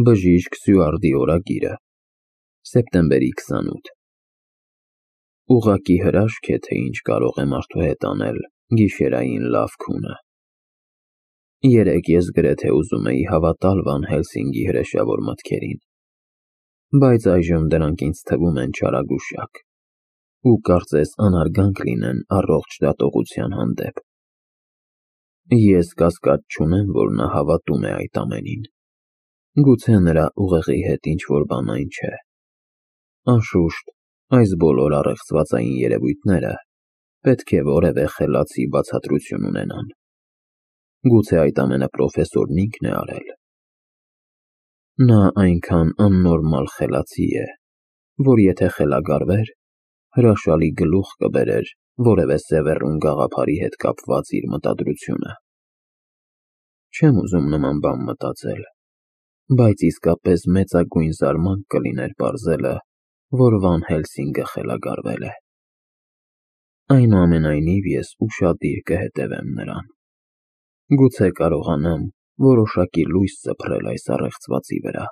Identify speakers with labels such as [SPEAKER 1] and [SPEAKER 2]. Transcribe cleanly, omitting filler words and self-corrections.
[SPEAKER 1] Բժիշկ Սյուարդի օրագիրը, սեպտեմբերի 28։ Ուղղակի հրաշք է, թե ինչ կարող է մարդու հետ անել գիշերային լավ քունը։ Երեկ ես գրեթե ուզում էի հավատալ Վան Հելսինգի հրեշավոր մտքերին, բայց այժմ դրանք ինձ թվում են չարագուշակ ու կարծես անարգանք լինեն առողջ դատողության հանդեպ։ Ես կասկած չունեմ, որ նա հավատում է այդ ամենին։ Գուցե նրա ուղեղի հետ ինչ-որ բան այն չէ։ Անշուշտ, այս բոլոր առեղծվածային երևույթները պետք է որևէ խելացի բացատրություն ունենան։ Գուցե այդ ամենը պրոֆեսորն ինքն է արել։ Նա այնքան աննորմալ խելացի է, որ եթե խելագարվեր, հրաշալի գլուխ կբերեր որևէ Սևեռուն գաղափարի հետ կապված իր մտադրությունը։ Չեմ ուզում նման բան մտածել, բայց իսկապես մեծագույն զարմանք կլիներ պարզելը, որ Վան Հելսինգը խելագարվել է։ Այնուամենայնիվ ես ուշադիր կհետևեմ նրան։ Գուցե կարողանամ որոշակի լույս սփռել այս առեղծվածի վրա։